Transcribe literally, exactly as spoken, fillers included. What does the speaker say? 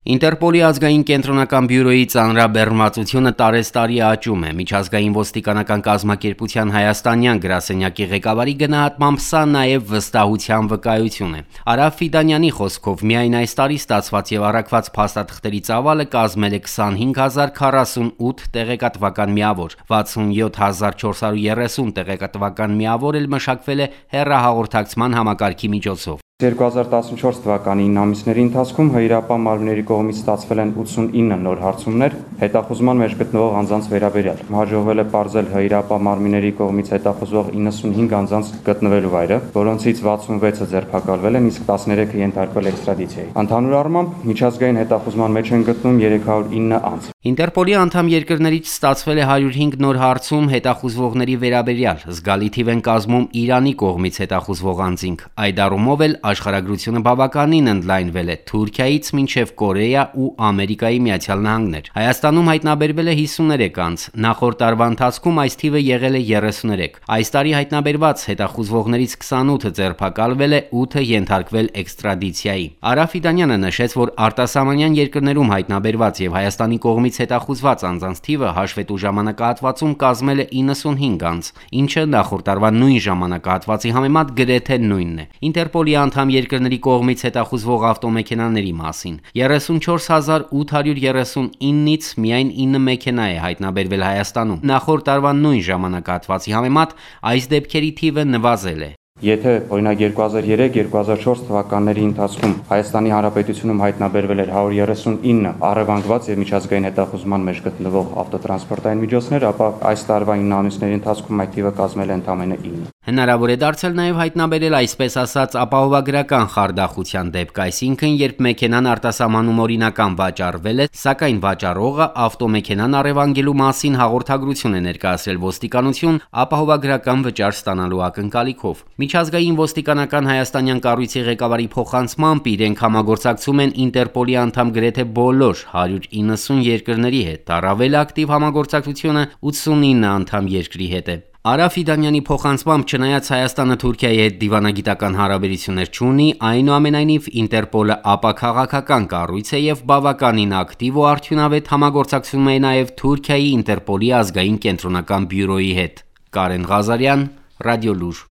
Ինտերպոլի ազգային կենտրոնական բյուրոյի ծանրաբեռնվածությունը տարեստարի աճում է։ Միջազգային ոստիկանական կազմակերպության հայաստանյան գրասենյակի ղեկավարի գնահատմամբ սա նաև վստահության վկայություն է։ Արա Ֆիդանյանի խոսքով միայն այս տարի ստացված եւ առաքված փաստաթղթերի ծավալը կազմել է քսանհինգ հազար քառասունութ տեղեկատվական միավոր, վաթսունյոթ հազար չորս հարյուր երեսուն տեղեկատվական միավոր էլ մշակվել է հեռահաղորդակցման համակարգի միջոցով։ երկու հազար տասնչորս թվականի ինը ամիսների ընթացքում հրապարակյա մարմինների կողմից ստացվել են ութսունինը նոր հարցումներ հետախուզման մեջ գտնվող անձանց վերաբերյալ։ Հաջողվել է պարզել հրապարակյա մարմինների կողմից հետախուզվող իննսունհինգ անձանց գտնվելու վայրը, որոնցից վաթսունվեցը ձերբակալվել են, իսկ տասներեքը ենթարկվել էքստրադիցիայի։ Ընդհանուր առմամբ միջազգային հետախուզման մեջ են գտնվում երեք հարյուր ինը անձ։ Ինտերպոլի անդամ երկրներից ստացվել է հարյուր հինգ նոր հարցում հետախուզվողների վերաբերյալ, զգալի թիվ են կազմում Իրանի կողմից հետախուզվող անձինք։ Այդ առումով էլ աշխարհագրությունը բավականին ընդլայնվել է Թուրքիայից մինչև Կորեա ու Ամերիկայի Միացյալ Նահանգներ։ Հայաստանում հայտնաբերվել է հիսուներեք անձ, նախորդ տարվա ընթացքում այս թիվը եղել է երեսուներեք։ Այս տարի հայտնաբերված հետախուզվողներից քսանութը ձերբակալվել է, ութը ենթարկվել էքստրադիցիայի։ Արա Ֆիդանյանը նշեց, որ արտասահմանյան երկրներում հայտնաբերված եւ Հայաստանի կողմից հետախուզված անձանց թիվը հաշվետու ժամանակահատվածում կազմել է իննսունհինգ անձ, ինչը նախորդ տարվա նույն ժամանակահատվածի համեմատ գրեթե նույնն է։ Ինտերպոլի անդամ երկրների կողմից հետախուզվող ավտոմեքենաների մասին երեսունչորս հազար ութ հարյուր երեսունինից միայն ինը մեքենա է հայտնաբերվել Հայաստանում։ Նախորդ տարվա նույն ժամանակահատվածի համեմատ այս դեպքերի թիվը նվազել է։ Եթե օրինակ երկու հազար երեք երկու հազար չորս թվականների ընթացքում Հայաստանի Հանրապետությունում հայտնաբերվել էր հարյուր երեսունինը առևանգված եւ միջազգային հետախուզման մեջ գտնվող ավտոտրանսպորտային միջոցներ, ապա այս տարվա ինը ամիսների ընթացքում այդ թիվը կազմել է ընդամենը ինը։ Հնարավոր է դարձել նաև հայտնաբերել այսպես ասած ապահովագրական խարդախության դեպք, այսինքն երբ մեքենան արտասահմանում օրինական վաճառվել է, սակայն վաճառողը ավտոմեքենան առևանգելու մասին հաղորդագրություն է ներկայացրել ոստիկանություն ապահովագրական վճար ստանալու ակնկալիքով։ Միջազգային ոստիկանական հայաստանյան կառույցի ղեկավարի փոխանցմամբ իրենք համագործակցում են Ինտերպոլի անդամ գրեթե բոլոր հարյուր իննսուն երկրների հետ, առավել ակտիվ համագործակցությունը ութսունինը անդամ երկրի հետ է։ Արա Ֆիդանյանի փոխանցմամբ չնայած Հայաստանը Թուրքիայի հետ դիվանագիտական հարաբերություններ չունի, այնուամենայնիվ Ինտերպոլը ապաքաղաքական կառույց է եւ բավականին ակտիվ ու արդյունավետ համագործակցում է նաեւ Թուրքիայի Ինտերպոլի ազգային կենտրոնական բյուրոյի հետ։ Կարեն Ղազարյան, Ռադիոլուր։